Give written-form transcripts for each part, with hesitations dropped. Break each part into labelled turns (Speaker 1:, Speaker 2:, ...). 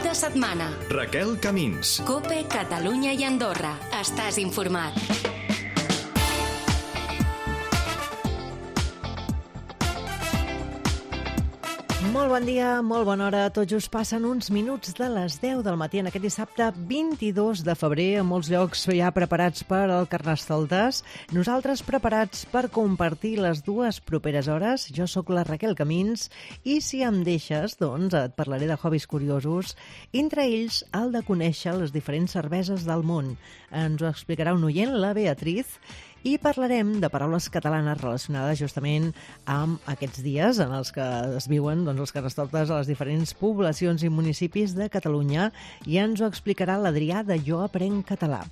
Speaker 1: de setmana.
Speaker 2: Raquel Camins.
Speaker 1: COPE, Catalunya i Andorra. Estàs informat.
Speaker 3: Molt bon dia, molt bona hora. Tot just passen uns minuts de les 10 del matí en aquest dissabte 22 de febrer. A molts llocs ja preparats per al Carnestoltes. Nosaltres preparats per compartir les dues properes hores. Jo sóc la Raquel Camins i si em deixes, doncs et parlaré de hobbies curiosos. Entre ells, el de conèixer les diferents cerveses del món. Ens ho explicarà un oient, la Beatriz, i parlarem de paraules catalanes relacionades justament amb aquests dies en els que es viuen els Carnestoltes a les diferents poblacions i municipis de Catalunya i ens ho explicarà l'Adrià de Jo Aprenc Català.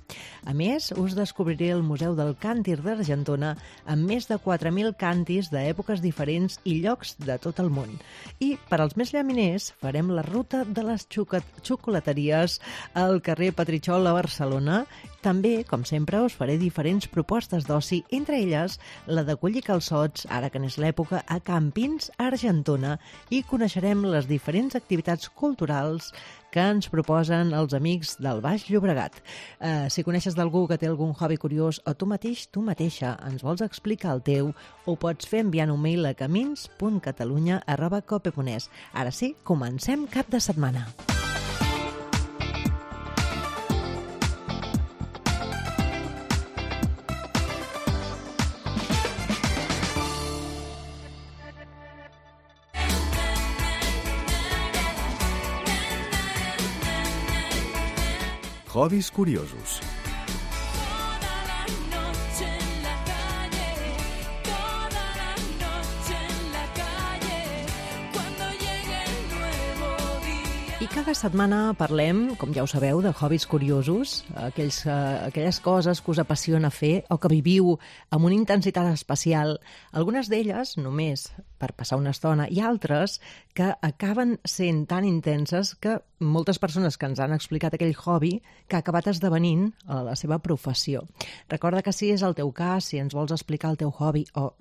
Speaker 3: A més, us descobriré el Museu del Càntir d'Argentona amb més de 4.000 càntirs d'èpoques diferents i llocs de tot el món. I per als més llaminers farem la ruta de les xocolateries al carrer Petritxol a Barcelona. També, com sempre, us faré diferents propostes d'oci, entre elles la de collir calçots, ara que n'és l'època, a Campins, Argentona, i coneixerem les diferents activitats culturals que ens proposen els amics del Baix Llobregat. Si coneixes d'algú que té algun hobby curiós o tu mateix, tu mateixa, ens vols explicar el teu, ho pots fer enviant un mail a camins.catalunya@cope.es. Ara sí, comencem cap de setmana.
Speaker 2: Hobbies curiosos.
Speaker 3: I cada setmana parlem, com ja ho sabeu, de hobbies curiosos, aquelles coses que us apassiona fer o que viviu amb una intensitat especial. Algunes d'elles només per passar una estona i altres que acaben sent tan intenses que moltes persones que ens han explicat aquell hobby que ha acabat esdevenint la seva professió. Recorda que si és el teu cas, si ens vols explicar el teu hobby o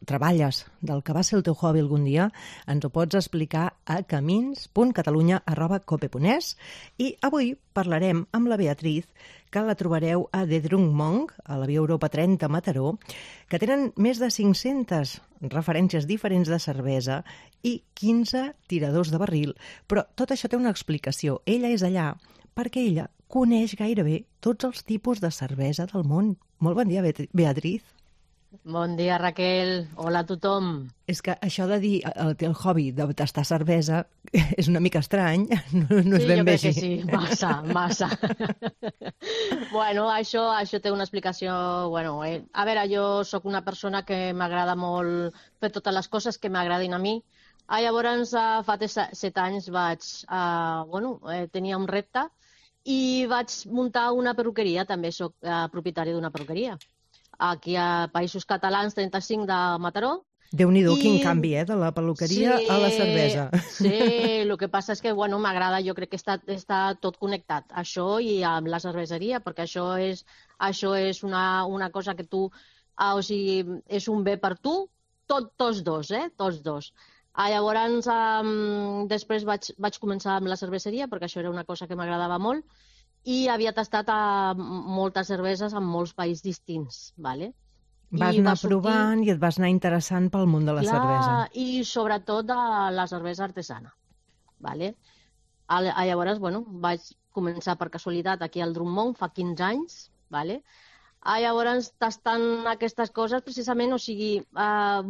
Speaker 3: treballes del que va ser el teu hobby algun dia, ens ho pots explicar a camins.catalunya@cope.es i avui parlarem amb la Beatriz, que la trobareu a The Drunk Monk, a la Via Europa 30 a Mataró, que tenen més de 500 referències diferents de cervesa i 15 tiradors de barril. Però tot això té una explicació. Ella és allà perquè ella coneix gairebé tots els tipus de cervesa del món. Molt bon dia, Beatriz.
Speaker 4: Bon dia, Raquel. Hola a tothom.
Speaker 3: És que això de dir el hobby de tastar cervesa és una mica estrany, no és ben bé així.
Speaker 4: Sí, jo crec que sí, massa. Bueno, això té una explicació... A veure, jo sóc una persona que m'agrada molt fer totes les coses que m'agradin a mi. Llavors, fa 7 anys tenia un repte i vaig muntar una perruqueria, també sóc propietària d'una perruqueria. Aquí a Països Catalans, 35 de Mataró.
Speaker 3: Déu-n'hi-do, quin canvi, de la peluqueria a la cervesa.
Speaker 4: Sí, el que passa és que, m'agrada, jo crec que està tot connectat, això i amb la cerveseria, perquè això és una cosa que tu, és un bé per tu, tots dos. Llavors, després vaig començar amb la cerveseria, perquè això era una cosa que m'agradava molt, i havia tastat moltes cerveses en molts països distints.
Speaker 3: Vas anar provant i et vas anar interessant pel món de la cervesa.
Speaker 4: I sobretot de la cervesa artesana. Llavors, vaig començar per casualitat aquí al Drunk Monk fa 15 anys. Llavors, tastant aquestes coses, precisament,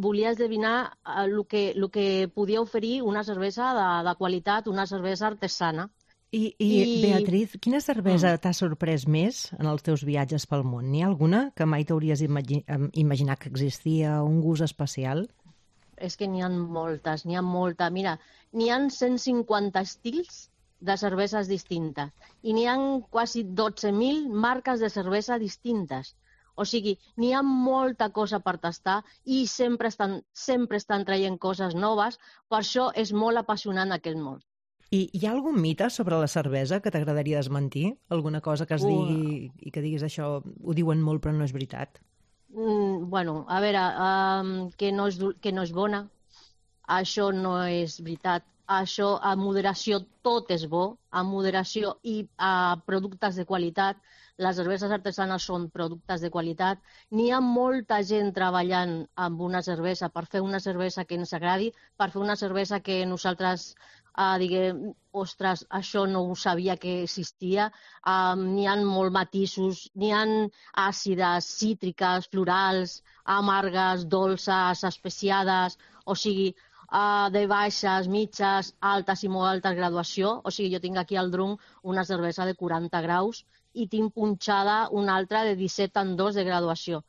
Speaker 4: volia esdevinar el que podia oferir una cervesa de qualitat, una cervesa artesana.
Speaker 3: I Beatriz, quina cervesa t'ha sorprès més en els teus viatges pel món? N'hi ha alguna que mai t'hauries imaginat que existia, un gust especial?
Speaker 4: És que n'hi ha moltes. Mira, n'hi ha 150 estils de cerveses distintes i n'hi ha quasi 12.000 marques de cervesa distintes. O sigui, n'hi ha molta cosa per tastar i sempre estan traient coses noves, per això és molt apassionant aquest món.
Speaker 3: I hi ha algun mite sobre la cervesa que t'agradaria desmentir? Alguna cosa que es digui i que diguis això ho diuen molt però no és veritat?
Speaker 4: A veure, que no és bona. això no és veritat. Això, a moderació, tot és bo, a moderació i a productes de qualitat. Les cerveses artesanes són productes de qualitat. N'hi ha molta gent treballant amb una cervesa per fer una cervesa que ens agradi, per fer una cervesa que nosaltres diguem, ostres, això no ho sabia que existia. N'hi ha molts matisos, n'hi ha àcides, cítriques, florals, amargues, dolces, especiades, o sigui, de baixes, mitges, altes i molt altes graduació. O sigui, jo tinc aquí al drunk una cervesa de 40 graus i tinc punxada una altra de 17,2 de graduació.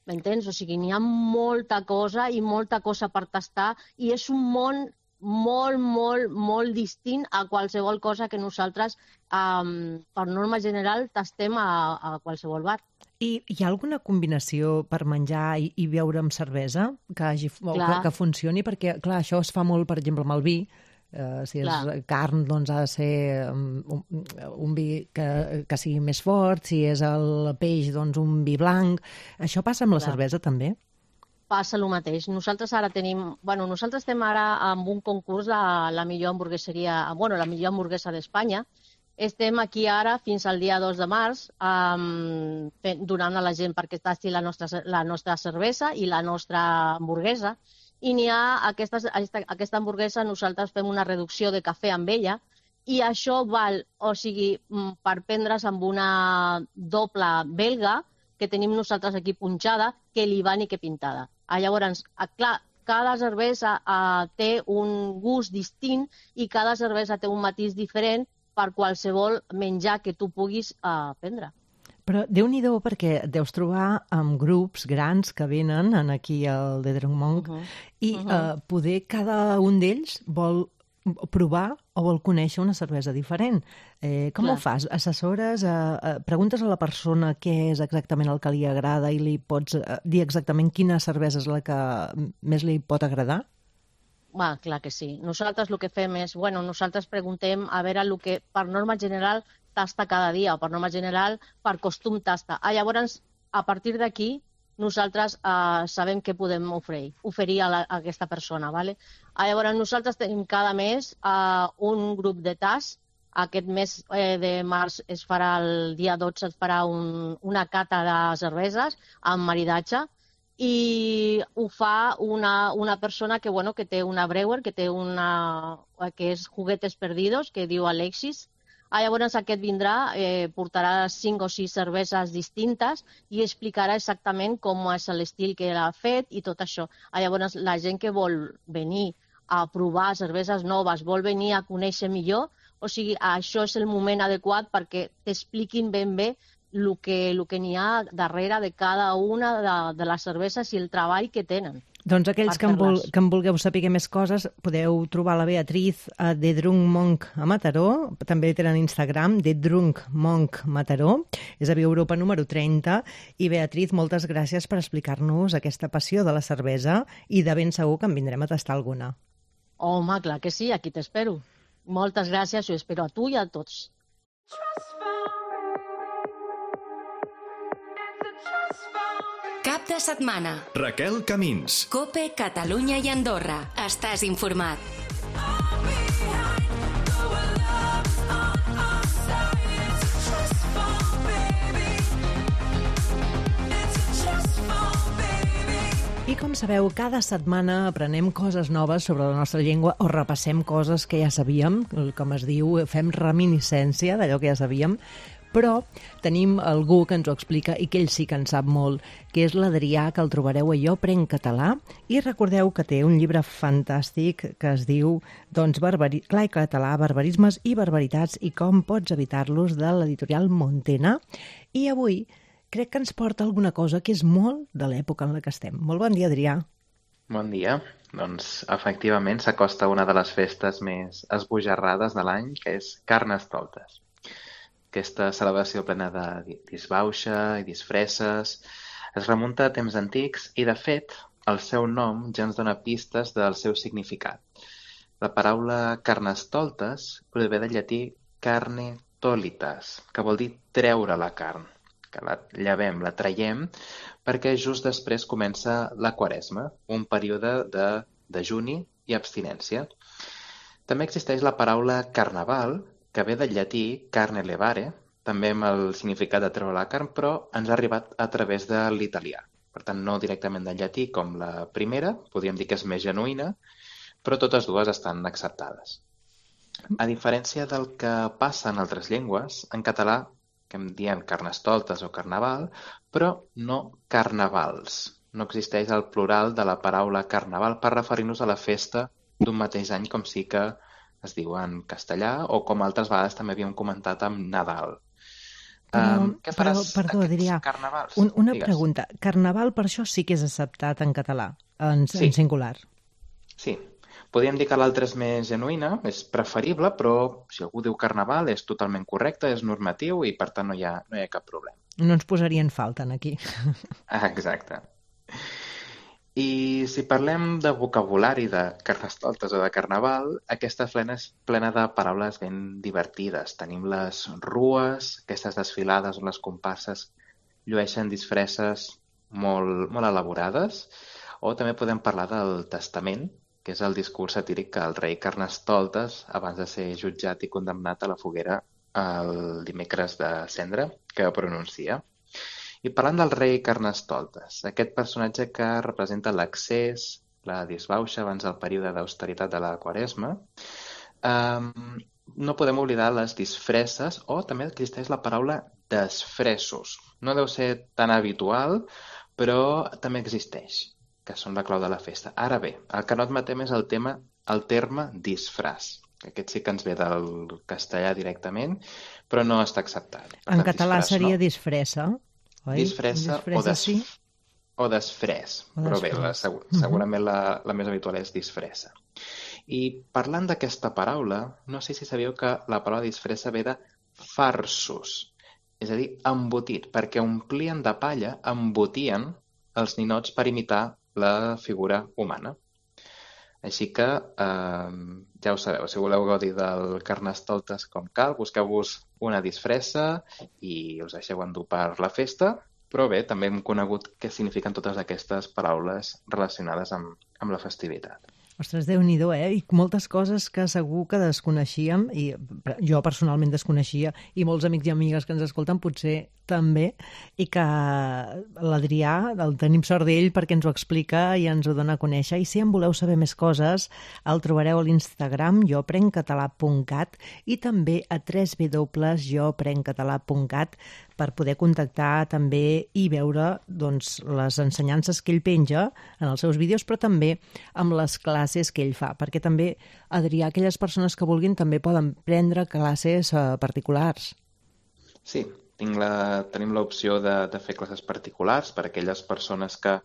Speaker 4: M'entens? O sigui, n'hi ha molta cosa i molta cosa per tastar i és un món molt distint a qualsevol cosa que nosaltres, per norma general, tastem a qualsevol bar.
Speaker 3: I hi ha alguna combinació per menjar i beure amb cervesa que funcioni? Perquè, clar, això es fa molt, per exemple, amb el vi. Si és carn, doncs ha de ser un vi que sigui més fort. Si és el peix, doncs un vi blanc. Això passa amb la cervesa, també?
Speaker 4: Passa el mateix. Nosaltres ara tenim... Bueno, nosaltres estem ara amb un concurs de la millor hamburgueseria... Bueno, la millor hamburguesa d'Espanya. Estem aquí ara fins al dia 2 de març donant a la gent perquè tasti la nostra cervesa i la nostra hamburguesa. I n'hi ha aquesta hamburguesa, nosaltres fem una reducció de cafè amb ella i això val, o sigui, per prendre's amb una doble belga que tenim nosaltres aquí punxada, que l'Ivan i que pintada. Llavors, clar, cada cervesa té un gust distint i cada cervesa té un matís diferent per qualsevol menjar que tu puguis prendre.
Speaker 3: Però Déu-n'hi-do, perquè deus trobar amb grups grans que venen aquí al The Drunk Monk i poder cada un d'ells vol provar o vol conèixer una cervesa diferent. Com ho fas? Assessores? Preguntes a la persona què és exactament el que li agrada i li pots dir exactament quina cervesa és la que més li pot agradar?
Speaker 4: Clar que sí. Nosaltres el que fem és, nosaltres preguntem a veure el que per norma general tasta cada dia o per norma general per costum tasta. Llavors, a partir d'aquí, nosaltres sabem què podem oferir a aquesta persona. ¿Vale? Llavors, nosaltres tenim cada mes un grup de tast. Aquest mes de març es farà, el dia 12 es farà una cata de cerveses amb maridatge i ho fa una persona que té una brewer, que és Juguetes Perdidos, que diu Alexis. Llavors aquest vindrà, portarà 5 o 6 cerveses distintes i explicarà exactament com és l'estil que l'ha fet i tot això. Llavors la gent que vol venir a provar cerveses noves, vol venir a conèixer millor, o sigui, això és el moment adequat perquè t'expliquin ben bé el que n'hi ha darrere de cada una de les cerveses i el treball que tenen.
Speaker 3: Doncs aquells que en vulgueu saber més coses, podeu trobar la Beatriz a The Drunk Monk a Mataró, també tenen Instagram, The Drunk Monk Mataró, és a Via Europa número 30, i Beatriz, moltes gràcies per explicar-nos aquesta passió de la cervesa i de ben segur que en vindrem a tastar alguna.
Speaker 4: Home, clar que sí, aquí t'espero. Moltes gràcies, jo espero a tu i a tots.
Speaker 1: Cap de setmana.
Speaker 2: Raquel Camins.
Speaker 1: COPE, Catalunya i Andorra. Estàs informat.
Speaker 3: I com sabeu, cada setmana aprenem coses noves sobre la nostra llengua o repassem coses que ja sabíem, com es diu, fem reminiscència d'allò que ja sabíem, però tenim algú que ens ho explica i que ell sí que en sap molt, que és l'Adrià, que el trobareu a Jo Prenc Català, i recordeu que té un llibre fantàstic que es diu Clar i català, barbarismes i barbaritats i com pots evitar-los, de l'editorial Montena. I avui crec que ens porta alguna cosa que és molt de l'època en la que estem. Molt bon dia, Adrià.
Speaker 5: Bon dia. Doncs, efectivament, s'acosta una de les festes més esbojarrades de l'any, que és Carnestoltes. Aquesta celebració plena de disbauxa i disfresses es remunta a temps antics i, de fet, el seu nom ja ens dona pistes del seu significat. La paraula Carnestoltes prové del llatí carne tolitas, que vol dir treure la carn, que la llevem, la traiem, perquè just després comença la Quaresma, un període de dejuni i abstinència. També existeix la paraula carnaval, que ve del llatí carne levare, també amb el significat de treure la carn, però ens ha arribat a través de l'italià. Per tant, no directament del llatí com la primera, podríem dir que és més genuïna, però totes dues estan acceptades. A diferència del que passa en altres llengües, en català, que em diem carnestoltes o carnaval, però no carnavals. No existeix el plural de la paraula carnaval per referir-nos a la festa d'un mateix any, com sí que es diu en castellà, o com altres vegades també havíem comentat amb Nadal. Què faràs
Speaker 3: perdó, Adrià,
Speaker 5: carnavals?
Speaker 3: una pregunta. Carnaval per això sí que és acceptat en català, en singular.
Speaker 5: Sí. Podríem dir que l'altra és més genuïna, és preferible, però si algú diu carnaval és totalment correcte, és normatiu i per tant no hi ha cap problema.
Speaker 3: No ens posarien falta aquí.
Speaker 5: Exacte. I si parlem de vocabulari de carnestoltes o de carnaval, aquesta és plena de paraules ben divertides. Tenim les rues, aquestes desfilades on les comparses llueixen disfresses molt, molt elaborades, o també podem parlar del testament, que és el discurs satíric que el rei Carnestoltes, abans de ser jutjat i condemnat a la foguera el dimecres de Cendra, que pronuncia. I parlant del rei Carnestoltes, aquest personatge que representa l'accés, la disbauxa abans del període d'austeritat de la Quaresma, no podem oblidar les disfresses, o també existeix la paraula desfressos. No deu ser tan habitual, però també existeix, que són la clau de la festa. Ara bé, el que no admetem és el terme disfraç. Aquest sí que ens ve del castellà directament, però no està acceptat.
Speaker 3: En català seria disfressa. Oi?
Speaker 5: Disfressa o desfrès, però bé, segurament la més habitual és disfressa. I parlant d'aquesta paraula, no sé si sabíeu que la paraula disfressa ve de farsos, és a dir, embotit, perquè omplien de palla, embotien els ninots per imitar la figura humana. Així que ja ho sabeu, si voleu gaudir del Carnestoltes com cal, busqueu-vos una disfressa i us deixeu endur per la festa, però bé, també hem conegut què signifiquen totes aquestes paraules relacionades amb la festivitat.
Speaker 3: Ostres, Déu-n'hi-do, I moltes coses que segur que desconeixíem, i jo personalment desconeixia, i molts amics i amigues que ens escolten potser també, i que l'Adrià, el tenim sort d'ell perquè ens ho explica i ens ho dona a conèixer. I si en voleu saber més coses, el trobareu a l'Instagram joprencatalà.cat i també a www.joprencatalà.cat per poder contactar també i veure les ensenyances que ell penja en els seus vídeos, però també amb les classes que ell fa, perquè també, Adrià, aquelles persones que vulguin també poden prendre classes particulars.
Speaker 5: Sí, tenim l'opció de fer classes particulars per a aquelles persones que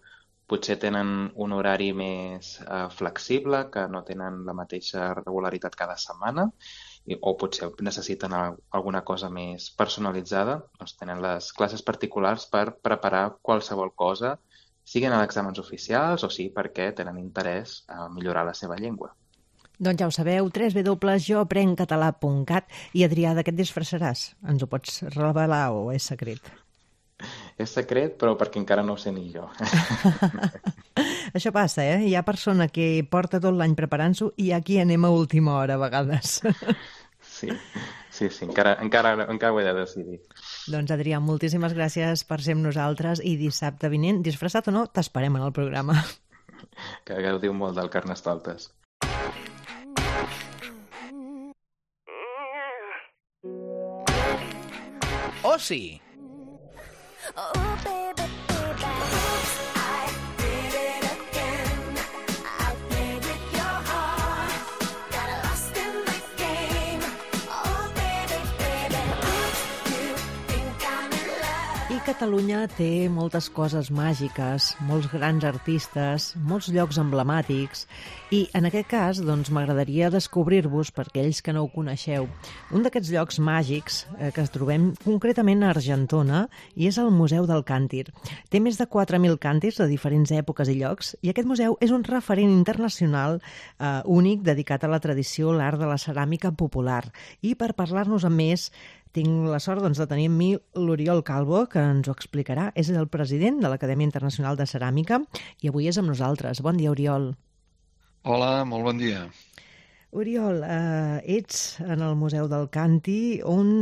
Speaker 5: potser tenen un horari més flexible, que no tenen la mateixa regularitat cada setmana, o potser necessiten alguna cosa més personalitzada, doncs tenen les classes particulars per preparar qualsevol cosa, siguin a exàmens oficials o sí perquè tenen interès a millorar la seva llengua.
Speaker 3: Doncs ja ho sabeu, www.joprencatalà.cat. I Adrià, de què et disfressaràs? Ens ho pots revelar o és secret?
Speaker 5: És secret, però perquè encara no ho sé ni jo.
Speaker 3: Això passa, Hi ha persona que porta tot l'any preparant-s'ho i aquí anem a última hora a vegades.
Speaker 5: Sí, encara ho he de decidir.
Speaker 3: Doncs Adrià, moltíssimes gràcies per ser amb nosaltres i dissabte vinent, disfressat o no, t'esperem en el programa.
Speaker 5: Que gaudiu molt del Carnestoltes.
Speaker 2: Oci.
Speaker 6: Oh, baby, baby, I did it again. I played with your heart, got lost in the game. Oh, baby, baby, you think I'm in love.
Speaker 3: I Catalunya té moltes coses màgiques, molts grans artistes, molts llocs emblemàtics, i en aquest cas doncs, m'agradaria descobrir-vos, per aquells que no ho coneixeu, un d'aquests llocs màgics que es trobem concretament a Argentona, i és el Museu del Càntir. Té més de 4.000 càntirs de diferents èpoques i llocs, i aquest museu és un referent internacional únic dedicat a la tradició, l'art de la ceràmica popular. I per parlar-nos amb més, tinc la sort de tenir amb mi l'Oriol Calvo, que ens ho explicarà. És el president de l'Acadèmia Internacional de Ceràmica i avui és amb nosaltres. Bon dia, Oriol.
Speaker 7: Hola, molt bon dia.
Speaker 3: Oriol, ets en el Museu del Canti, on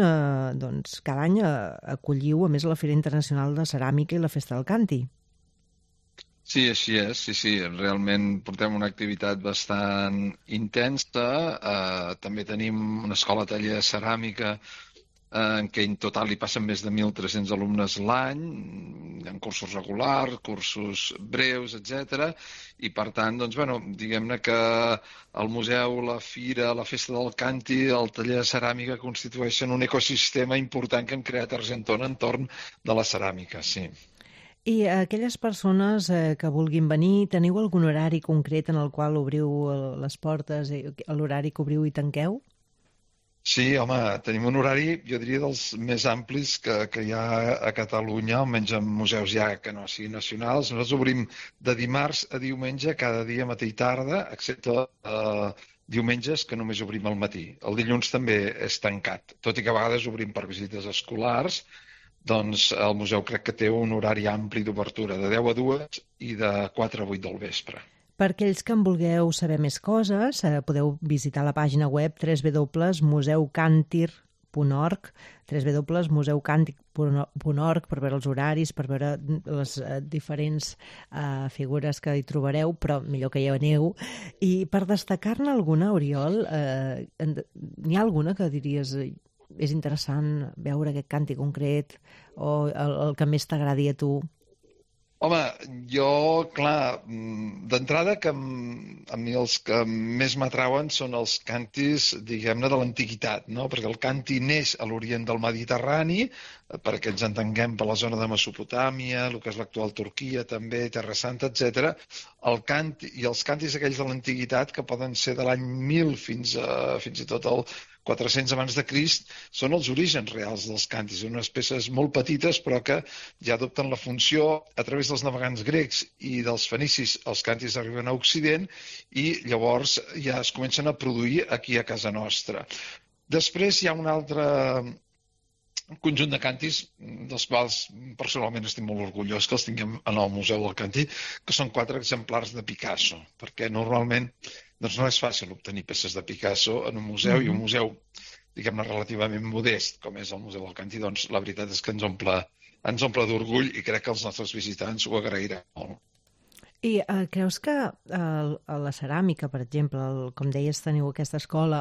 Speaker 3: doncs, cada any acolliu, a més, la Fira Internacional de Ceràmica i la Festa del Canti.
Speaker 7: Sí, així és, sí. Realment portem una activitat bastant intensa. També tenim una escola-taller de ceràmica en què en total hi passen més de 1.300 alumnes l'any, en cursos regulars, cursos breus, etc. I per tant, doncs, diguem-ne que el museu, la fira, la festa del Canti, el taller de ceràmica constitueixen un ecosistema important que hem creat a Argentona entorn de la ceràmica, sí.
Speaker 3: I aquelles persones que vulguin venir, teniu algun horari concret en el qual obriu les portes, l'horari que obriu i tanqueu?
Speaker 7: Sí, home, tenim un horari, jo diria, dels més amplis que hi ha a Catalunya, almenys en museus ja que no siguin nacionals. Nosaltres obrim de dimarts a diumenge, cada dia, matí i tarda, excepte diumenges, que només obrim al matí. El dilluns també és tancat, tot i que a vegades obrim per visites escolars. Doncs el museu crec que té un horari ampli d'obertura, de 10 a 2 i de 4 a 8 del vespre.
Speaker 3: Per aquells que en vulgueu saber més coses, podeu visitar la pàgina web www.museucantir.org, www.museucantir.org, per veure els horaris, per veure les diferents figures que hi trobareu, però millor que hi aneu. I per destacar-ne alguna, Oriol, n'hi ha alguna que diries és interessant veure aquest canti concret o el que més t'agradi a tu?
Speaker 7: Home, jo, clar, d'entrada que a mi els que més m'atrauen són els cantis, diguem-ne, de l'antiguitat, no? Perquè el canti neix a l'orient del Mediterrani, perquè ens entenguem per la zona de Mesopotàmia, el que és l'actual Turquia també, Terra Santa, etc. I els cantis aquells de l'antiguitat, que poden ser de l'any 1000 fins i tot el 400 abans de Crist, són els orígens reals dels cantis, unes peces molt petites però que ja adopten la funció a través dels navegants grecs i dels fenicis. Els cantis arriben a Occident i llavors ja es comencen a produir aquí a casa nostra. Després hi ha un altre conjunt de cantis dels quals personalment estic molt orgullós que els tinguem en el Museu del Canti, que són 4 exemplars de Picasso, perquè normalment doncs no és fàcil obtenir peces de Picasso en un museu, i un museu, diguem-ne, relativament modest, com és el Museu del Canti, doncs la veritat és que ens omple d'orgull i crec que els nostres visitants ho agrairan molt.
Speaker 3: I creus que a la ceràmica, per exemple, com deies, teniu aquesta escola,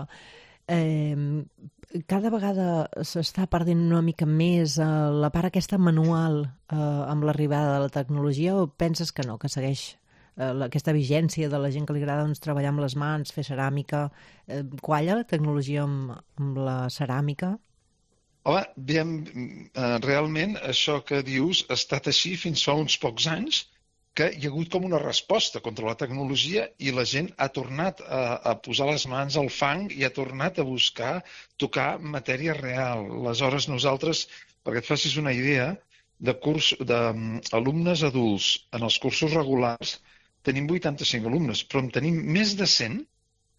Speaker 3: cada vegada s'està perdent una mica més la part aquesta manual amb l'arribada de la tecnologia, o penses que no, que segueix aquesta vigència de la gent que li agrada treballar amb les mans, fer ceràmica? Qualla la tecnologia amb la ceràmica?
Speaker 7: Home, realment això que dius ha estat així fins fa uns pocs anys, que hi ha hagut com una resposta contra la tecnologia i la gent ha tornat a posar les mans al fang i ha tornat a buscar tocar matèria real. Aleshores nosaltres, perquè et facis una idea, d'alumnes adults en els cursos regulars tenim 85 alumnes, però en tenim més de 100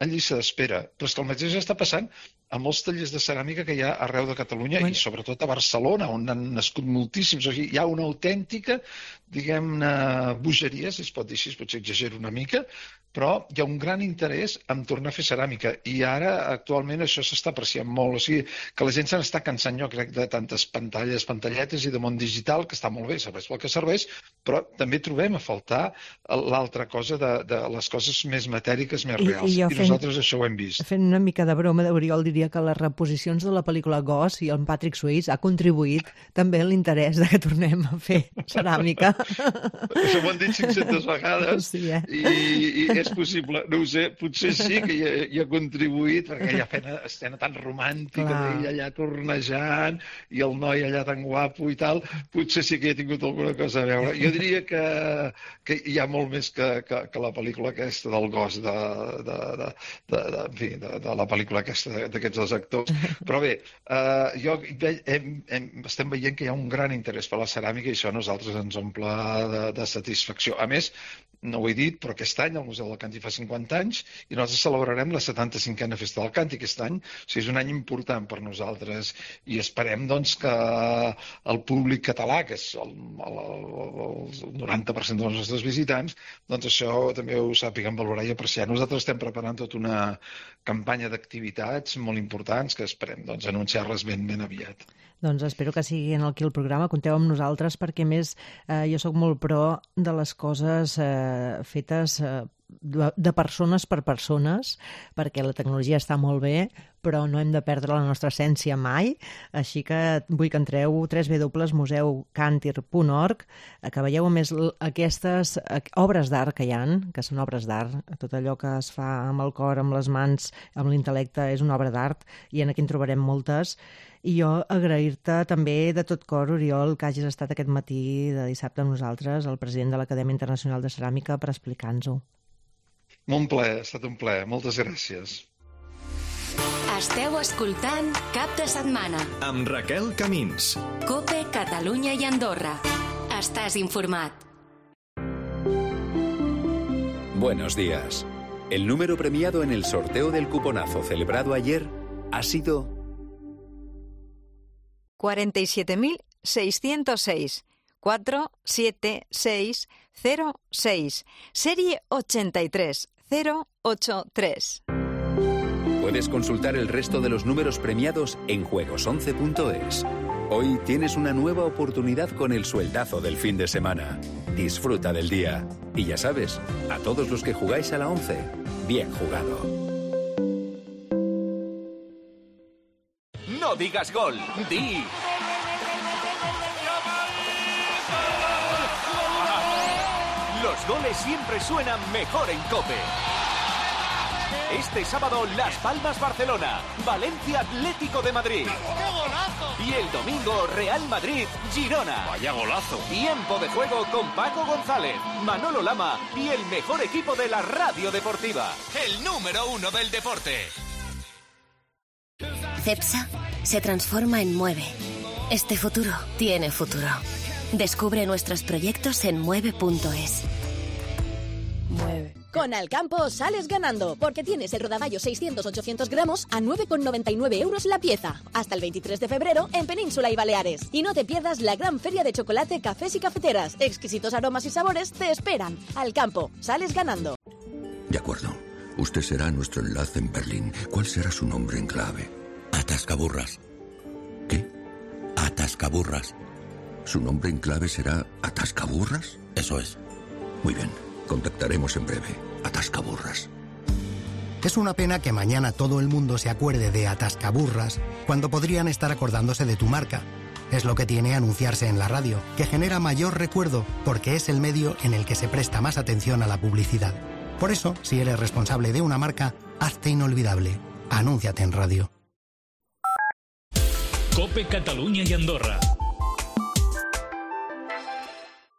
Speaker 7: en llista d'espera. Però és que el mateix està passant a molts tallers de ceràmica que hi ha arreu de Catalunya i sobretot a Barcelona, on han nascut moltíssims. O sigui, hi ha una autèntica, diguem-ne, bogeria, si es pot dir així, potser exagero una mica, però hi ha un gran interès en tornar a fer ceràmica. I ara, actualment, això s'està apreciant molt. O sigui, que la gent se n'està cansant, jo crec, de tantes pantalletes i de món digital, que està molt bé, serveix pel que serveix, però també trobem a faltar l'altra cosa de les coses més matèriques, més reals. I nosaltres això ho hem vist.
Speaker 3: Fent una mica de broma, Oriol, diria que les reposicions de la pel·lícula Ghost i el Patrick Swayze ha contribuït també a l'interès de que tornem a fer ceràmica.
Speaker 7: Això m'ho han dit 500 vegades i és possible, no ho sé, potser sí que hi ha contribuït, perquè hi ha escena tan romàntica d'ell allà tornejant i el noi allà tan guapo i tal, potser sí que hi ha tingut alguna cosa a veure. Jo diria que hi ha molt més que la pel·lícula aquesta del Ghost, de la pel·lícula aquesta d'aquests dos actors. Però bé, estem veient que hi ha un gran interès per la ceràmica i això a nosaltres ens omple de satisfacció. A més, no ho he dit, però aquest any al Museu del Canti fa 50 anys i nosaltres celebrarem la 75a Festa del Canti aquest any. O sigui, és un any important per nosaltres i esperem doncs, que el públic català, que és el 90% dels nostres visitants, doncs això també ho sàpiguen valorar i apreciar. Nosaltres estem preparant tota una campanya d'activitats molt importants que esperem doncs, anunciar-les ben aviat.
Speaker 3: Doncs espero que sigui aquí el programa. Compteu amb nosaltres perquè, a més, jo sóc molt pro de les coses fetes de persones per persones, perquè la tecnologia està molt bé, però no hem de perdre la nostra essència mai. Així que vull que entreu www.museucantir.org, que veieu a més aquestes obres d'art que hi ha, que són obres d'art. Tot allò que es fa amb el cor, amb les mans, amb l'intel·lecte, és una obra d'art, i aquí en trobarem moltes. I jo agrair-te també de tot cor, Oriol, que hagis estat aquest matí de dissabte amb nosaltres, el president de l'Acadèmia Internacional de Ceràmica, per explicar-nos-ho.
Speaker 7: Molt plaer, ha estat un plaer. Moltes gràcies.
Speaker 1: Esteu escoltant Cap de Setmana.
Speaker 2: Amb Raquel Camins.
Speaker 1: COPE, Catalunya i Andorra. Estàs informat.
Speaker 8: Buenos días. El número premiado en el sorteo del cuponazo celebrado ayer ha sido
Speaker 9: 47.606 47606, serie 83083.
Speaker 8: Puedes consultar el resto de los números premiados en juegos11.es. Hoy tienes una nueva oportunidad con el sueldazo del fin de semana. Disfruta del día. Y ya sabes, a todos los que jugáis a la 11, bien jugado.
Speaker 10: No digas gol, di... Los goles siempre suenan mejor en COPE. Este sábado, Las Palmas Barcelona, Valencia Atlético de Madrid.
Speaker 6: ¡Qué golazo!
Speaker 10: Y el domingo, Real Madrid Girona.
Speaker 6: ¡Vaya golazo!
Speaker 10: Tiempo de juego con Paco González, Manolo Lama y el mejor equipo de la radio deportiva. El número 1 del deporte.
Speaker 1: CEPSA se transforma en Mueve. Este futuro tiene futuro. Descubre nuestros proyectos en mueve.es.
Speaker 11: Mueve. Con Alcampo sales ganando, porque tienes el rodaballo 600-800 gramos a 9,99 euros la pieza. Hasta el 23 de febrero en Península y Baleares. Y no te pierdas la gran feria de chocolate, cafés y cafeteras. Exquisitos aromas y sabores te esperan. Alcampo, sales ganando.
Speaker 12: De acuerdo. Usted será nuestro enlace en Berlín. ¿Cuál será su nombre en clave? Atascaburras. ¿Qué? Atascaburras. ¿Su nombre en clave será Atascaburras? Eso es. Muy bien. Contactaremos en breve. Atascaburras.
Speaker 13: Es una pena que mañana todo el mundo se acuerde de Atascaburras cuando podrían estar acordándose de tu marca. Es lo que tiene anunciarse en la radio, que genera mayor recuerdo porque es el medio en el que se presta más atención a la publicidad. Por eso, si eres responsable de una marca, hazte inolvidable. Anúnciate en radio.
Speaker 14: COPE Catalunya y Andorra.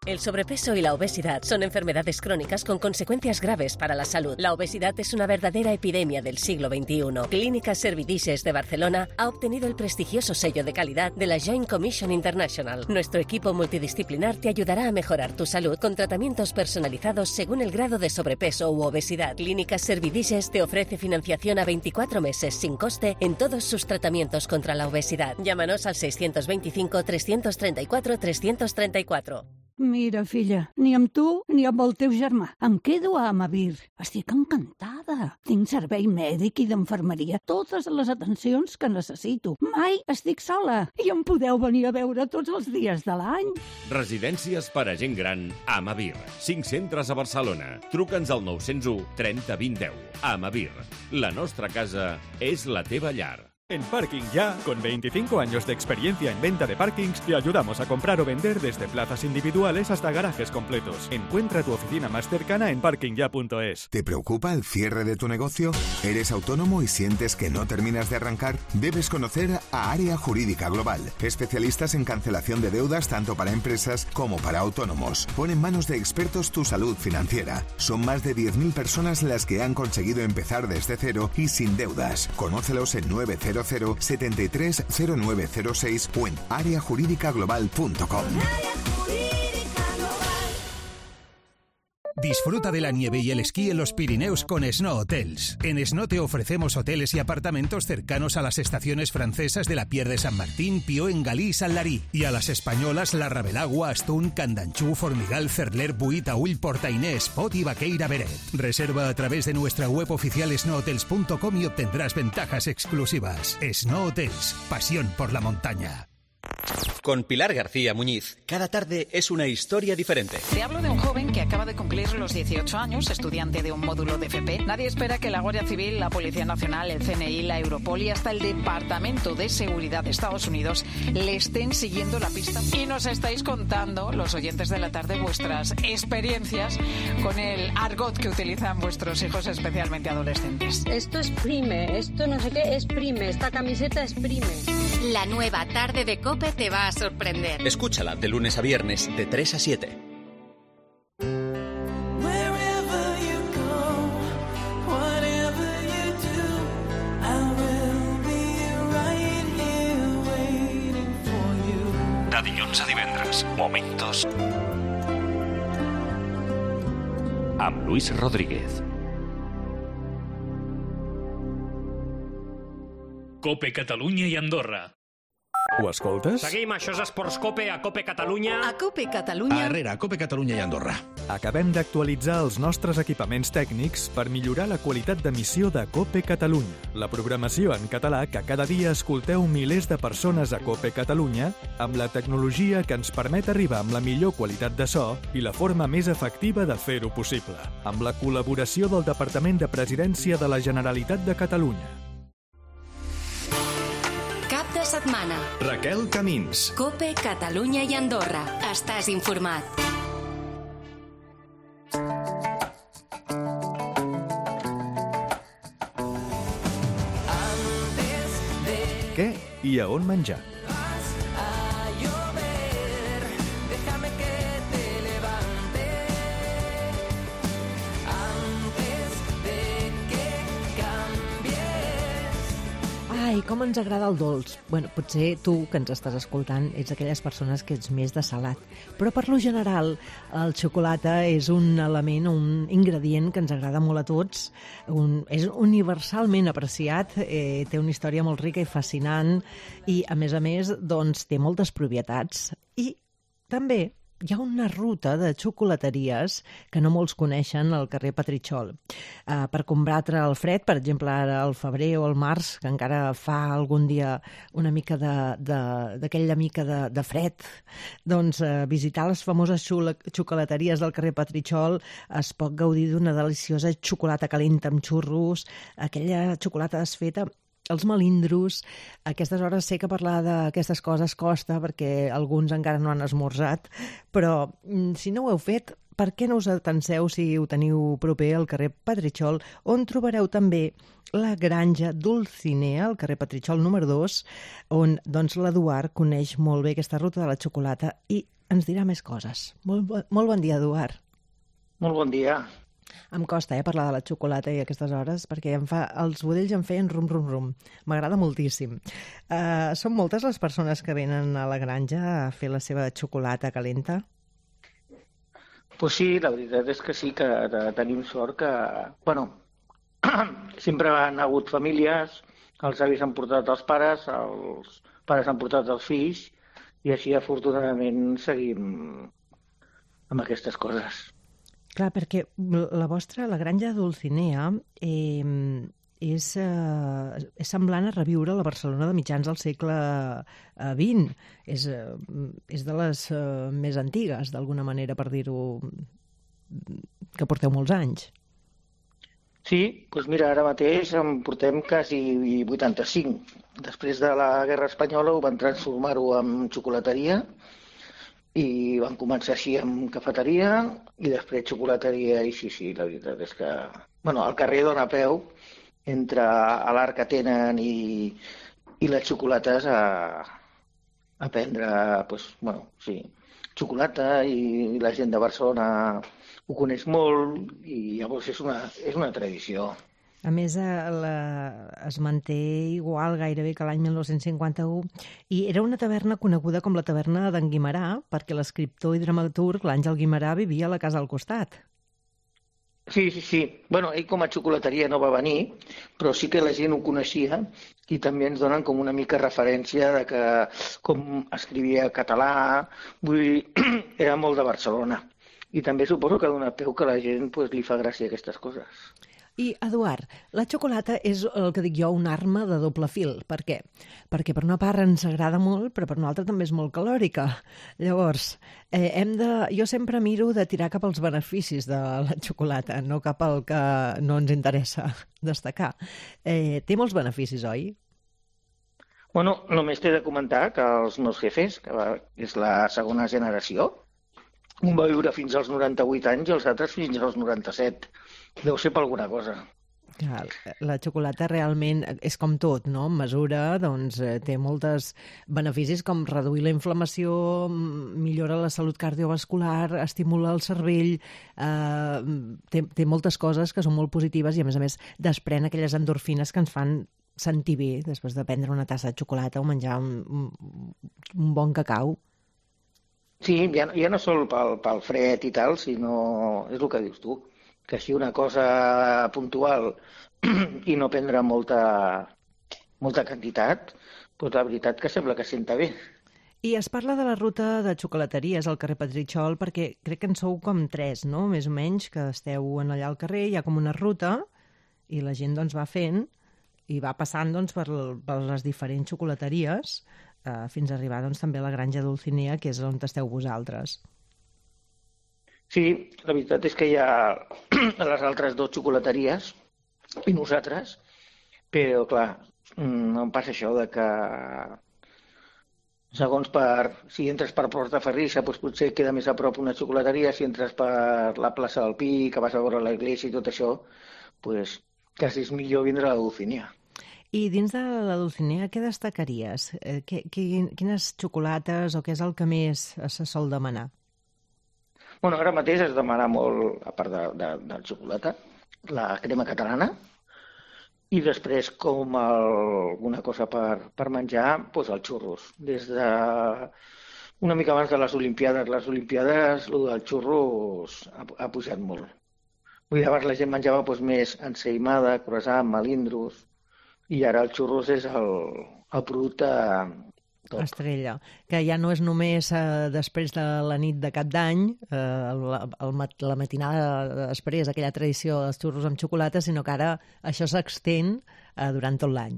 Speaker 15: El sobrepeso y la obesidad son enfermedades crónicas con consecuencias graves para la salud. La obesidad es una verdadera epidemia del siglo XXI. Clínicas Servidices de Barcelona ha obtenido el prestigioso sello de calidad de la Joint Commission International. Nuestro equipo multidisciplinar te ayudará a mejorar tu salud con tratamientos personalizados según el grado de sobrepeso u obesidad. Clínicas Servidices te ofrece financiación a 24 meses sin coste en todos sus tratamientos contra la obesidad. Llámanos al 625 334 334.
Speaker 16: Mira, filla, ni amb tu ni amb el teu germà. Em quedo a Amavir. Estic encantada. Tinc servei mèdic i d'infermeria, totes les atencions que necessito. Mai estic sola i em podeu venir a veure tots els dies de l'any.
Speaker 17: Residències per a gent gran Amavir. 5 centres a Barcelona. Truca'ns al 901 30 20 10. Amavir. La nostra casa és la teva llar.
Speaker 18: En Parking Ya, con 25 años de experiencia en venta de parkings, te ayudamos a comprar o vender desde plazas individuales hasta garajes completos. Encuentra tu oficina más cercana en parkingya.es.
Speaker 19: ¿Te preocupa el cierre de tu negocio? ¿Eres autónomo y sientes que no terminas de arrancar? Debes conocer a Área Jurídica Global, especialistas en cancelación de deudas tanto para empresas como para autónomos. Pon en manos de expertos tu salud financiera. Son más de 10.000 personas las que han conseguido empezar desde cero y sin deudas. Conócelos en 900 730906 o en areajurídicaglobal.com.
Speaker 20: Disfruta de la nieve y el esquí en los Pirineos con Snow Hotels. En Snow te ofrecemos hoteles y apartamentos cercanos a las estaciones francesas de la Pier de San Martín, Pió, Engalí y Sanlarí, y a las españolas La Rabelagua, Astún, Candanchú, Formigal, Cerler, Buí, Taüll, Portainés, Pot y Baqueira Beret. Reserva a través de nuestra web oficial snowhotels.com y obtendrás ventajas exclusivas. Snow Hotels, pasión por la montaña.
Speaker 21: Con Pilar García Muñiz, cada tarde es una historia diferente.
Speaker 22: Te hablo de un joven que acaba de cumplir los 18 años, estudiante de un módulo de FP. Nadie espera que la Guardia Civil, la Policía Nacional, el CNI, la Europol y hasta el Departamento de Seguridad de Estados Unidos le estén siguiendo la pista. Y nos estáis contando, los oyentes de la tarde, vuestras experiencias con el argot que utilizan vuestros hijos, especialmente adolescentes.
Speaker 23: Esto es prime, esto no sé qué es prime, esta camiseta es prime.
Speaker 1: La nueva tarde de COPE te va a sorprender.
Speaker 21: Escúchala de lunes a viernes de 3 a 7.
Speaker 10: De dilluns a divendres, Momentos amb Luis Rodríguez.
Speaker 14: COPE Catalunya i Andorra.
Speaker 18: Ho escoltes?
Speaker 24: Seguim, això és Esports COPE, a COPE Catalunya.
Speaker 9: A COPE Catalunya.
Speaker 18: A COPE Catalunya i Andorra. Acabem d'actualitzar els nostres equipaments tècnics per millorar la qualitat d'emissió de COPE Catalunya, la programació en català que cada dia escolteu milers de persones a COPE Catalunya, amb la tecnologia que ens permet arribar amb la millor qualitat de so i la forma més efectiva de fer-ho possible, amb la col·laboració del Departament de Presidència de la Generalitat de Catalunya.
Speaker 1: Cap de setmana.
Speaker 2: Raquel Camins.
Speaker 1: COPE Catalunya i Andorra. Estàs informat.
Speaker 18: Què i a on menjar?
Speaker 3: Ai, com ens agrada el dolç. Bueno, potser tu, que ens estàs escoltant, ets aquelles persones que ets més de salat. Però per lo general, el xocolata és un element, un ingredient que ens agrada molt a tots. És universalment apreciat, té una història molt rica i fascinant i, a més, doncs, té moltes propietats. I també hi ha una ruta de xocolateries que no molts coneixen al carrer Petritxol. Per combatre el fred, per exemple, ara al febrer o al març, que encara fa algun dia una mica d'aquella mica de fred, doncs visitar les famoses xocolateries del carrer Petritxol es pot gaudir d'una deliciosa xocolata calenta amb xurros, aquella xocolata desfeta, els melindros. A aquestes hores sé que parlar d'aquestes coses costa perquè alguns encara no han esmorzat, però si no ho heu fet, per què no us atanseu si ho teniu proper al carrer Petritxol, on trobareu també la granja Dulcinea, al carrer Petritxol número 2, on doncs, l'Eduard coneix molt bé aquesta ruta de la xocolata i ens dirà més coses. Molt bon dia, Eduard.
Speaker 25: Molt bon dia.
Speaker 3: Em costa parlar de la xocolata i a aquestes hores perquè els budells em feien rum. M'agrada moltíssim. Són moltes les persones que venen a la granja a fer la seva xocolata calenta?
Speaker 25: Pues sí, la veritat és que sí, que tenim sort que... Bueno, sempre han hagut famílies, els avis han portat els pares han portat els fills, i així afortunadament seguim amb aquestes coses.
Speaker 3: Clar, perquè la granja Dulcinea és semblant a reviure la Barcelona de mitjans del segle XX. És de les més antigues, d'alguna manera, per dir-ho, que porteu molts anys.
Speaker 25: Sí, doncs mira, ara mateix en portem quasi 85. Després de la Guerra Espanyola ho van transformar-ho en xocolateria, i van començar així amb cafeteria i després xocolateria i sí, la veritat és que... Bueno, el carrer dona peu entre l'art que tenen i les xocolates a prendre, doncs, bueno, sí, xocolata i la gent de Barcelona ho coneix molt i llavors és una tradició.
Speaker 3: A més, es manté igual gairebé que l'any 1951 i era una taverna coneguda com la taverna d'en Guimerà perquè l'escriptor i dramaturg l'Àngel Guimerà vivia a la casa al costat.
Speaker 25: Sí. Bueno, ell com a xocolateria no va venir, però sí que la gent ho coneixia i també ens donen com una mica referència de que com escrivia català, vull dir, era molt de Barcelona. I també suposo que dona peu que a la gent li fa gràcia aquestes coses.
Speaker 3: I, Eduard, la xocolata és el que dic jo, una arma de doble fil. Per què? Perquè per una part ens agrada molt, però per una altra també és molt calòrica. Llavors, jo sempre miro de tirar cap als beneficis de la xocolata, no cap al que no ens interessa destacar. Té molts beneficis, oi?
Speaker 25: Bueno, només t'he de comentar que els meus jefes, que és la segona generació, un va viure fins als 98 anys i els altres fins als 97. Deu ser per alguna cosa.
Speaker 3: Clar, la xocolata realment és com tot, no? En mesura, doncs, té molts beneficis com reduir la inflamació, millora la salut cardiovascular, estimula el cervell, té moltes coses que són molt positives i, a més, desprèn aquelles endorfines que ens fan sentir bé després de prendre una tassa de xocolata o menjar un bon cacau.
Speaker 25: Sí, ja no sol pel fred i tal, sinó és el que dius tu, que si una cosa puntual i no prendre molta quantitat, doncs la veritat que sembla que senta bé.
Speaker 3: I es parla de la ruta de xocolateries al carrer Petritxol perquè crec que en sou com 3, no? Més o menys, que esteu allà al carrer, hi ha com una ruta i la gent doncs va fent i va passant doncs, per les diferents xocolateries fins a arribar doncs, també a la Granja Dulcinea, que és on esteu vosaltres.
Speaker 25: Sí, la veritat és que hi ha les altres 2 xocolateries i nosaltres, però clar, no em passa això de que segons si entres per Portaferrissa doncs potser queda més a prop una xocolateria, si entres per la plaça del Pi, que vas a veure l'església i tot això, doncs quasi és millor vindre a la Dulcinea.
Speaker 3: I dins de la Dulcinea què destacaries? Quines xocolates o què és el que més se sol demanar?
Speaker 25: Bueno, ara mateix es demana molt, a part de xocolata, la crema catalana i després com alguna cosa per menjar, doncs els xurros. Des de una mica abans de les Olimpiades. Les Olimpiades, el dels xurros ha pujat molt. Vull dir, abans la gent menjava més ensaïmada, croissant, melindros, i ara el xurros és el producte top.
Speaker 3: Estrella, que ja no és només després de la nit de Cap d'Any, la matinada després, aquella tradició dels xurros amb xocolata, sinó que ara això s'extén durant tot l'any.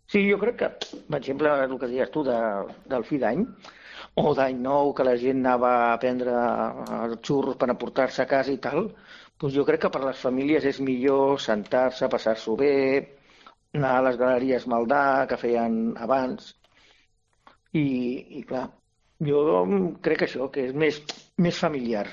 Speaker 25: Sí, jo crec que, per exemple, el que deies tu del fi d'any, o d'any nou, que la gent anava a prendre els xurros per aportar-se a casa i tal, doncs jo crec que per les famílies és millor sentar-se, passar-s'ho bé, anar a les galeries Maldà, que feien abans, i clar, jo crec que això, que és més familiar,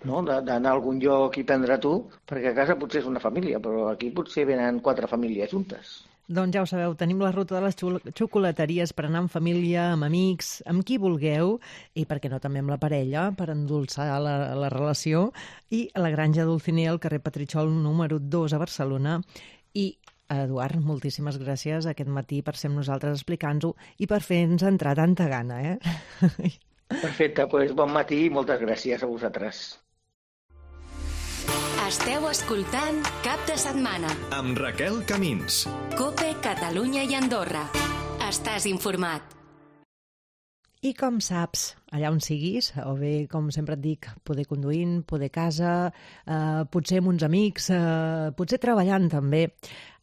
Speaker 25: no? D'anar a algun lloc i prendre tu, perquè a casa potser és una família, però aquí potser venen 4 famílies juntes.
Speaker 3: Doncs ja ho sabeu, tenim la ruta de les xocolateries per anar amb família, amb amics, amb qui vulgueu, i per què no també amb la parella, per endolçar la relació, i a la Granja Dulcinea, al carrer Petritxol número 2 a Barcelona. I Eduard, moltíssimes gràcies aquest matí per ser amb nosaltres explicant-ho i per fer-nos entrar tanta gana,
Speaker 25: Perfecte, doncs bon matí i moltes gràcies a vosaltres.
Speaker 1: Esteu escoltant Cap de Setmana
Speaker 2: amb Raquel Camins.
Speaker 1: COPE Catalunya i Andorra. Estàs informat.
Speaker 3: I com saps, allà on siguis, o bé, com sempre et dic, poder conduint, poder a casa, potser amb uns amics, potser treballant també,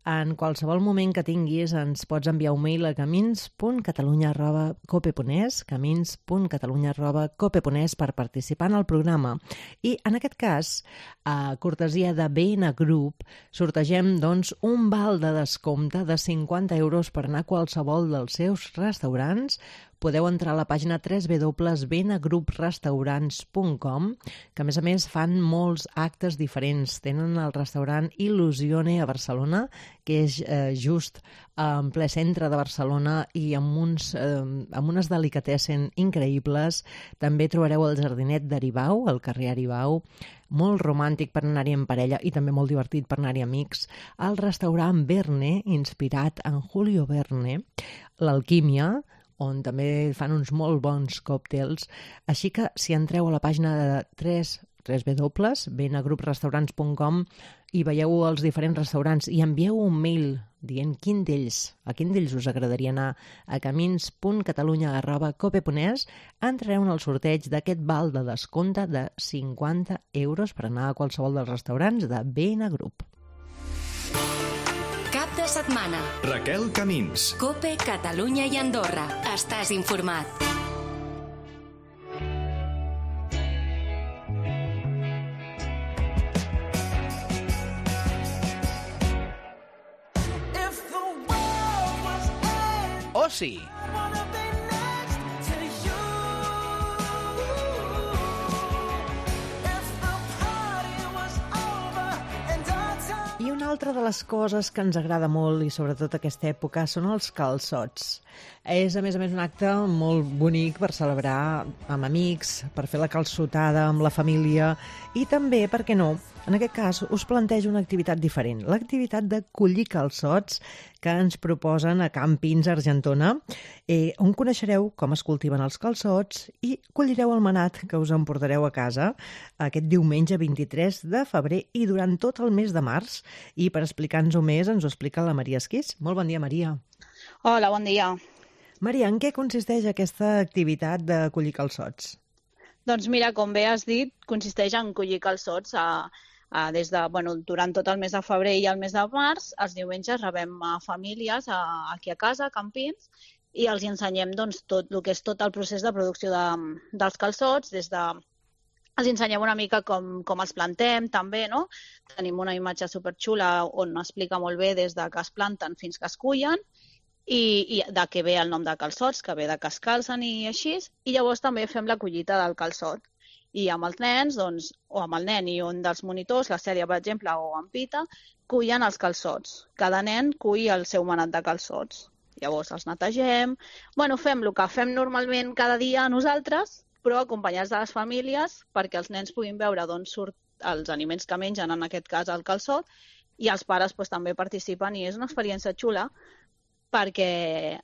Speaker 3: en qualsevol moment que tinguis ens pots enviar un mail a camins.catalunya@cope.es, camins.catalunya@cope.es per participar en el programa. I en aquest cas, a cortesia de BN Group, sortegem doncs, un val de descompte de 50 euros per anar a qualsevol dels seus restaurants. Podeu entrar a la pàgina www.bnagrouprestaurants.com, que a més fan molts actes diferents. Tenen el restaurant Il·lusione a Barcelona, que és just en ple centre de Barcelona i amb unes delicatessen increïbles. També trobareu el jardinet d'Aribau, al carrer Aribau, molt romàntic per anar-hi en parella i també molt divertit per anar-hi amics. El restaurant Verne, inspirat en Julio Verne, l'Alquímia, on també fan uns molt bons còctels. Així que si entreu a la pàgina de www.benagruprestaurants.com i veieu els diferents restaurants i envieu un mail dient a quin d'ells us agradaria anar a camins.catalunya@cope.es, entrareu en el sorteig d'aquest val de descompte de 50 euros per anar a qualsevol dels restaurants de Benagrup.
Speaker 1: Cap de setmana.
Speaker 2: Raquel Camins.
Speaker 1: Cope, Catalunya i Andorra. Estàs informat.
Speaker 4: Oci.
Speaker 3: I una altra de les coses que ens agrada molt, i sobretot aquesta època, són els calçots. És, a més, un acte molt bonic per celebrar amb amics, per fer la calçotada amb la família i també, per què no, en aquest cas us plantejo una activitat diferent, l'activitat de collir calçots que ens proposen a Campins, Argentona, on coneixereu com es cultiven els calçots i collireu el manat que us emportareu a casa aquest diumenge 23 de febrer i durant tot el mes de març. I per explicar-nos-ho més ens ho explica la Maria Esquís. Molt bon dia, Maria.
Speaker 5: Hola, bon dia.
Speaker 3: Maria, en què consisteix aquesta activitat de collir calçots?
Speaker 5: Doncs mira, com bé has dit, consisteix en collir calçots durant tot el mes de febrer i el mes de març. Els diumenges rebem famílies aquí a casa, a Campins, i els ensenyem tot el que és tot el procés de producció dels calçots, els ensenyem una mica com els plantem, també, no? Tenim una imatge superxula on explica molt bé des de que es planten fins que es cullen, i de què ve el nom de calçots, que ve de que es calcen i així, i llavors també fem la collita del calçot. I amb els nens, o amb el nen i un dels monitors, la Cèlia, per exemple, o en Pita, cullen els calçots. Cada nen cull el seu manat de calçots. Llavors els netegem. Fem el que fem normalment cada dia nosaltres, però acompanyats de les famílies, perquè els nens puguin veure d'on surt els aliments que mengen, en aquest cas el calçot, i els pares també participen, i és una experiència xula, perquè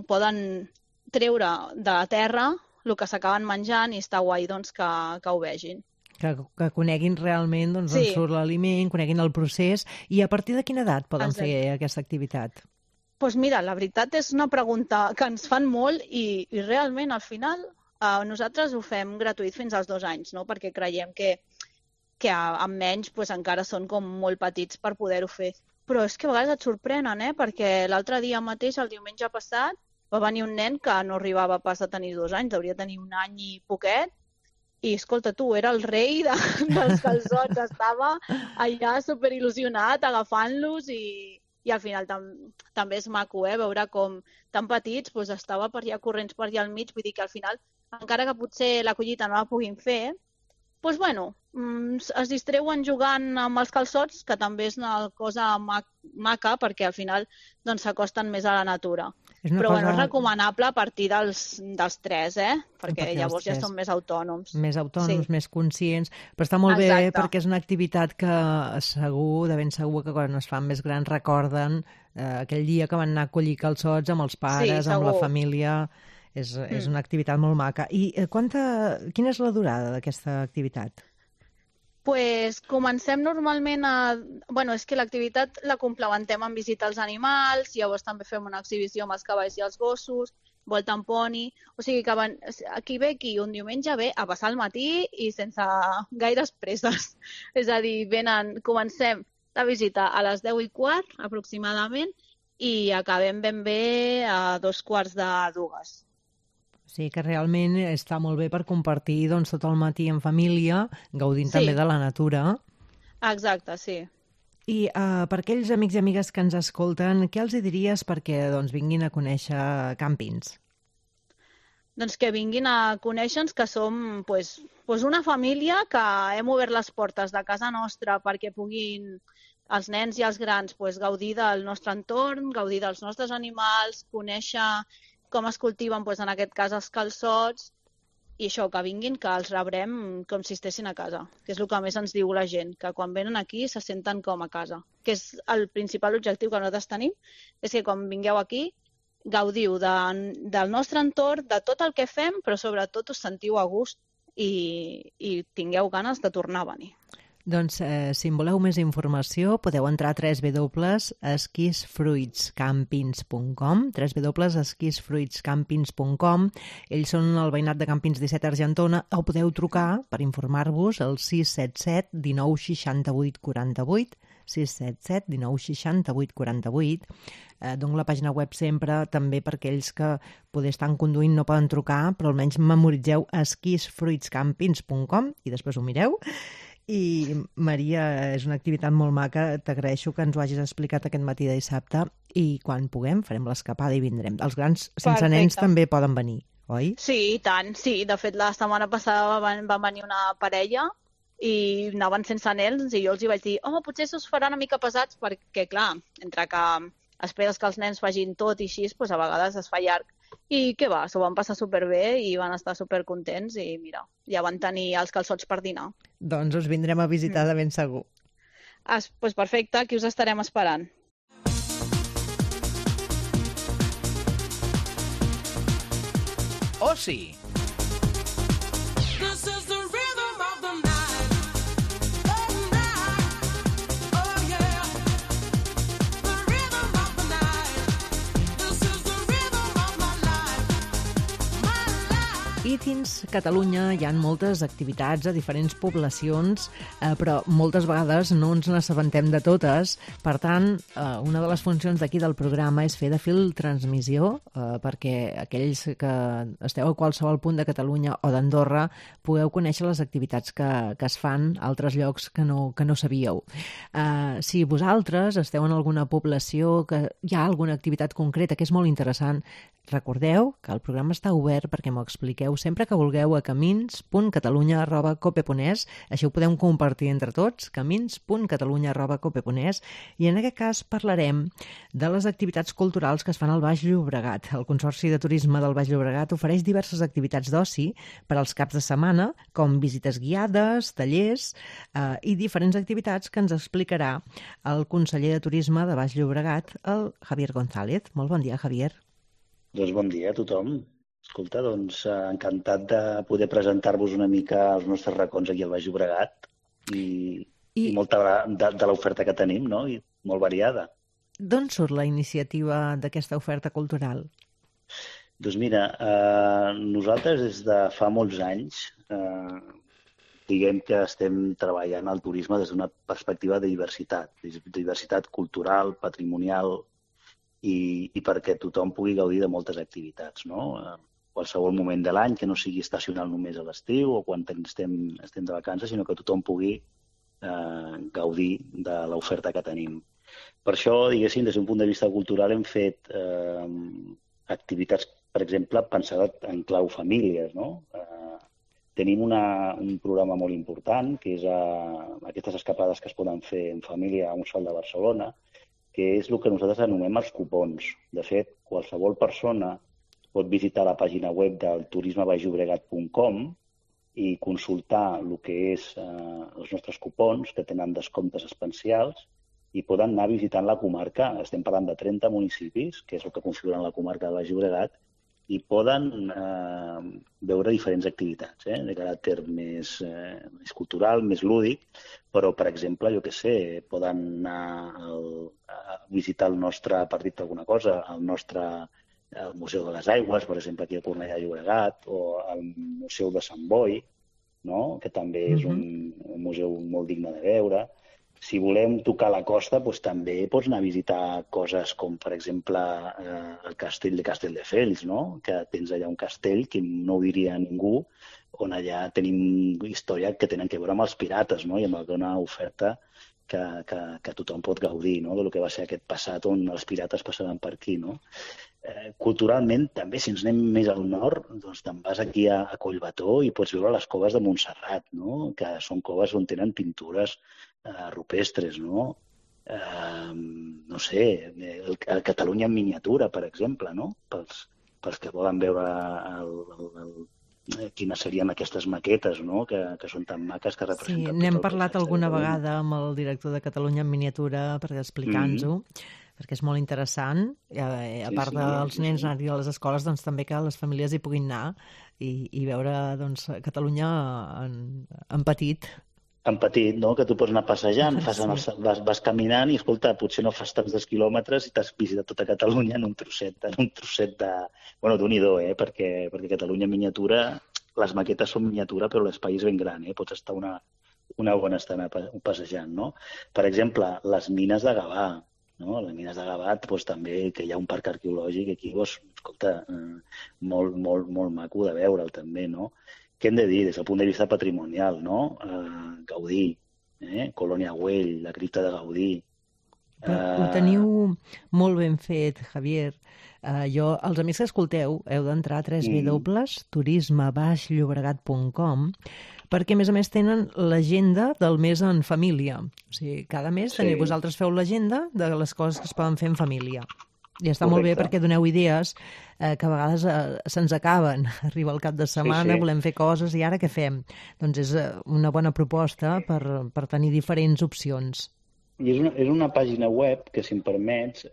Speaker 5: poden treure de la terra el que s'acaben menjant i està guai que ho vegin.
Speaker 3: Que coneguin realment on surt l'aliment, coneguin el procés. I a partir de quina edat poden fer aquesta activitat?
Speaker 5: Doncs mira, la veritat és una pregunta que ens fan molt i realment al final nosaltres ho fem gratuït fins als 2 anys, no? Perquè creiem que amb menys encara són com molt petits per poder-ho fer. Però és que a vegades et sorprenen, perquè l'altre dia mateix, el diumenge passat, va venir un nen que no arribava pas a tenir 2 anys, hauria de tenir 1 any i poquet, i escolta tu, era el rei dels calçots, estava allà superil·lusionat agafant-los i al final també és maco, veure com tan petits estava per allà corrents per allà al mig, vull dir que al final, encara que potser la collita no la puguin fer, es distreuen jugant amb els calçots, que també és una cosa maca, perquè al final s'acosten més a la natura. Però és recomanable a partir dels 3, perquè llavors ja són més autònoms.
Speaker 3: Més autònoms, més conscients. Però està molt bé perquè és una activitat que de ben segur que quan es fan més grans recorden aquell dia que van anar a collir calçots amb els pares, amb la família. És una activitat molt maca. I quina és la durada d'aquesta activitat?
Speaker 5: Comencem normalment és que l'activitat la complementem amb visitar els animals, llavors també fem una exhibició amb els cavalls i els gossos, volta amb poni, o sigui que aquí un diumenge ve a passar el matí i sense gaires presses. És a dir, comencem la visita a les 10:15 aproximadament i acabem ben bé a 2:45.
Speaker 3: Sí, que realment està molt bé per compartir tot el matí en família, gaudint també de la natura.
Speaker 5: Exacte, sí.
Speaker 3: I per aquells amics i amigues que ens escolten, què els diries perquè vinguin a conèixer Campins?
Speaker 5: Doncs que vinguin a conèixer-nos, que som una família que hem obert les portes de casa nostra perquè puguin els nens i els grans gaudir del nostre entorn, gaudir dels nostres animals, conèixer com es cultiven, en aquest cas, els calçots, i això, que vinguin, que els rebrem com si estessin a casa, que és el que més ens diu la gent, que quan venen aquí se senten com a casa, que és el principal objectiu que nosaltres tenim, és que quan vingueu aquí gaudiu del nostre entorn, de tot el que fem, però sobretot us sentiu a gust i tingueu ganes de tornar a venir.
Speaker 3: Doncs, si en voleu més informació, podeu entrar a www.esquisfruitscampins.com, www.esquisfruitscampins.com. Ells són el veïnat de Campins 17 Argentona, o podeu trucar per informar-vos al 677 19 68 48, 677 19 68 48. Dono la pàgina web sempre també per aquells que poder estan conduint no poden trucar, però almenys memoritzeu esquisfruitscampins.com i després ho mireu. I, Maria, és una activitat molt maca. T'agraeixo que ens ho hagis explicat aquest matí de dissabte i quan puguem farem l'escapada i vindrem. Els grans sense nens també poden venir, oi? Sí,
Speaker 5: i tant, sí. De fet, la setmana passada va venir una parella i anaven sense nens i jo els hi vaig dir potser s'us farà una mica pesats perquè, clar, entre que esperes que els nens facin tot i així, doncs a vegades es fa llarg. I què va, s'ho van passar superbé i van estar supercontents i mira, ja van tenir els calçots per dinar.
Speaker 3: Doncs us vindrem a visitar de ben segur.
Speaker 5: Doncs perfecte, aquí us estarem esperant.
Speaker 10: Oci.
Speaker 3: I dins Catalunya hi ha moltes activitats a diferents poblacions, però moltes vegades no ens n'assabentem de totes. Per tant, una de les funcions d'aquí del programa és fer de fil transmissió perquè aquells que esteu a qualsevol punt de Catalunya o d'Andorra pugueu conèixer les activitats que es fan a altres llocs que no sabíeu. Si vosaltres esteu en alguna població que hi ha alguna activitat concreta que és molt interessant, recordeu que el programa està obert perquè m'ho expliqueu sempre que vulgueu a camins.catalunya@cope.es. Així ho podem compartir entre tots, camins.catalunya@cope.es. I en aquest cas parlarem de les activitats culturals que es fan al Baix Llobregat. El Consorci de Turisme del Baix Llobregat ofereix diverses activitats d'oci per als caps de setmana, com visites guiades, tallers i diferents activitats que ens explicarà el conseller de Turisme de Baix Llobregat, el Javier González. Molt bon dia, Javier.
Speaker 4: Doncs bon dia a tothom. Escolta, doncs encantat de poder presentar-vos una mica els nostres racons aquí al Baix Llobregat i molta de l'oferta que tenim, no? I molt variada.
Speaker 3: D'on surt la iniciativa d'aquesta oferta cultural?
Speaker 4: Doncs mira, nosaltres des de fa molts anys diguem que estem treballant el turisme des d'una perspectiva de diversitat cultural, patrimonial i perquè tothom pugui gaudir de moltes activitats, no? Qualsevol moment de l'any, que no sigui estacional només a l'estiu o quan estem de vacances, sinó que tothom pugui gaudir de l'oferta que tenim. Per això, diguéssim, des d'un punt de vista cultural hem fet activitats, per exemple, pensades en clau famílies, no? Tenim un programa molt important, que és aquestes escapades que es poden fer en família a un sol de Barcelona, que és el que nosaltres anomenem els cupons. De fet, qualsevol persona pot visitar la pàgina web del turismebaixllobregat.com i consultar el que és els nostres cupons, que tenen descomptes especials, i poden anar visitant la comarca. Estem parlant de 30 municipis, que és el que configuren la comarca del Baix Llobregat, i poden veure diferents activitats de caràcter més cultural, més lúdic, però, per exemple, jo què sé, poden anar a visitar el nostre, per dir-te alguna cosa, el Museu de les Aigües, per exemple, aquí a Cornellà de Llobregat, o el Museu de Sant Boi, no? Que també és un museu molt digne de veure. Si volem tocar la costa, doncs també pots anar a visitar coses com, per exemple, el castell de Castelldefels, no? Que tens allà un castell que no ho diria ningú, on allà tenim història que tenen que veure amb els pirates, no? I amb alguna oferta que tothom pot gaudir, no? Del que va ser aquest passat on els pirates passaven per aquí, no? Culturalment, també, si ens anem més al nord, doncs te'n vas aquí a Collbató i pots veure les coves de Montserrat, no? Que són coves on tenen pintures rupestres, no? No sé, el Catalunya en miniatura, per exemple, no? Pels que volen veure quines serien aquestes maquetes, no? Que són tan maques que representen...
Speaker 3: Sí, n'hem parlat alguna vegada amb el director de Catalunya en miniatura per explicar-nos-ho. perquè és molt interessant, a part dels nens anar-hi a les escoles, doncs també que les famílies hi puguin anar i veure doncs, Catalunya en petit.
Speaker 4: En petit, no? Que tu pots anar passejant, vas caminant i, escolta, potser no fas tants quilòmetres i t'has visitat tota Catalunya en un trosset de... Bueno, d'un-i-do, perquè Catalunya miniatura, les maquetes són miniatura, però l'espai és ben gran, Pots estar una bona estona passejant, no? Per exemple, les mines de Gavà, no? Les mines de Gavà, doncs, també, que hi ha un parc arqueològic aquí, doncs, escolta, molt maco de veure'l també, no? Què hem de dir des del punt de vista patrimonial, no? Gaudí, Colònia Güell, la cripta de Gaudí.
Speaker 3: Ho teniu molt ben fet, Javier. Els amics que escolteu heu d'entrar a www.turisme-llobregat.com perquè, a més, tenen l'agenda del mes en família. O sigui, cada mes vosaltres feu l'agenda de les coses que es poden fer en família. I està molt bé perquè doneu idees que a vegades se'ns acaben. Arriba el cap de setmana, volem fer coses i ara què fem? Doncs és una bona proposta per tenir diferents opcions.
Speaker 4: I és una pàgina web que, si em permets,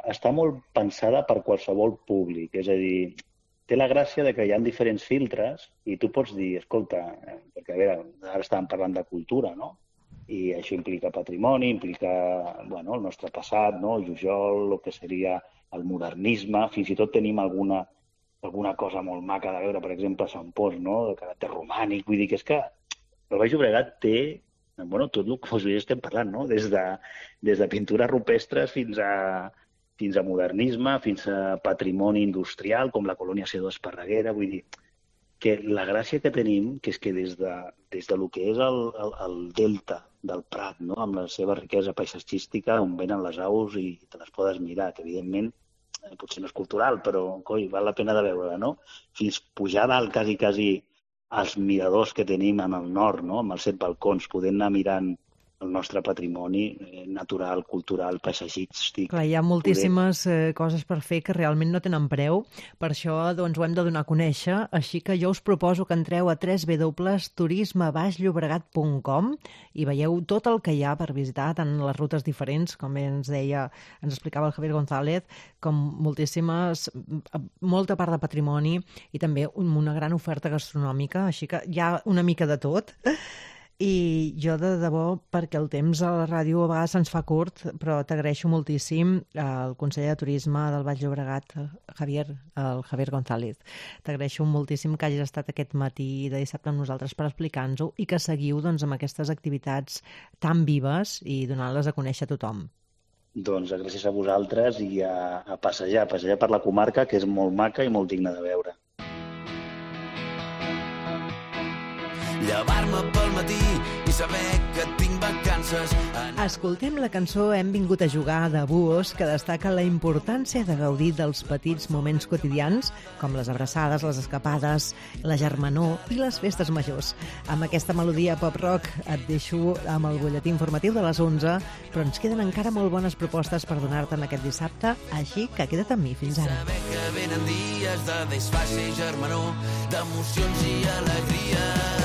Speaker 4: està molt pensada per qualsevol públic. És a dir, té la gràcia de que hi ha diferents filtres i tu pots dir, escolta, perquè a veure, ara estàvem parlant de cultura, no? I això implica patrimoni, implica el nostre passat, no? Jujol, el que seria el modernisme, fins i tot tenim alguna cosa molt maca de veure, per exemple, a Sant Pons, no? De caràcter romànic, vull dir que és que el Baix Llobregat té tot el que estem parlant, no? Des de pintures rupestres fins a modernisme, fins a patrimoni industrial, com la colònia C2 Esparreguera, vull dir que la gràcia que tenim, que és que des de lo que és el delta del Prat, no? Amb la seva riquesa paisatgística, on venen les aus i te les podes mirar, que evidentment potser no és cultural, però val la pena de veure-la, no? Fins pujar dalt quasi als miradors que tenim en el nord, no? Amb els 7 balcons, podent anar mirant el nostre patrimoni natural, cultural, paisatgístic.
Speaker 3: Clar, hi ha moltíssimes coses per fer que realment no tenen preu, per això doncs, ho hem de donar a conèixer, així que jo us proposo que entreu a www.turisme-llobregat.com i veieu tot el que hi ha per visitar, tant les rutes diferents, com ens explicava el Javier González, com molta part de patrimoni i també una gran oferta gastronòmica, així que hi ha una mica de tot. I jo, de debò, perquè el temps a la ràdio a vegades se'ns fa curt, però t'agraeixo moltíssim al conseller de Turisme del Baix Llobregat, el Javier González. T'agraeixo moltíssim que hagis estat aquest matí de dissabte amb nosaltres per explicar-nos-ho i que seguiu amb aquestes activitats tan vives i donant-les a conèixer a tothom.
Speaker 4: Doncs gràcies a vosaltres i a passejar per la comarca, que és molt maca i molt digna de veure.
Speaker 6: Llevar-me pel matí i saber que tinc vacances.
Speaker 3: Escoltem la cançó Hem vingut a jugar de Buos, que destaca la importància de gaudir dels petits moments quotidians, com les abraçades, les escapades, la germanor i les festes majors. Amb aquesta melodia pop-rock et deixo amb el butlletí informatiu de les 11, però ens queden encara molt bones propostes per donar-te en aquest dissabte, així que queda't amb mi. Fins ara.
Speaker 6: Saber que venen dies de desfase i germanor, d'emocions i alegria.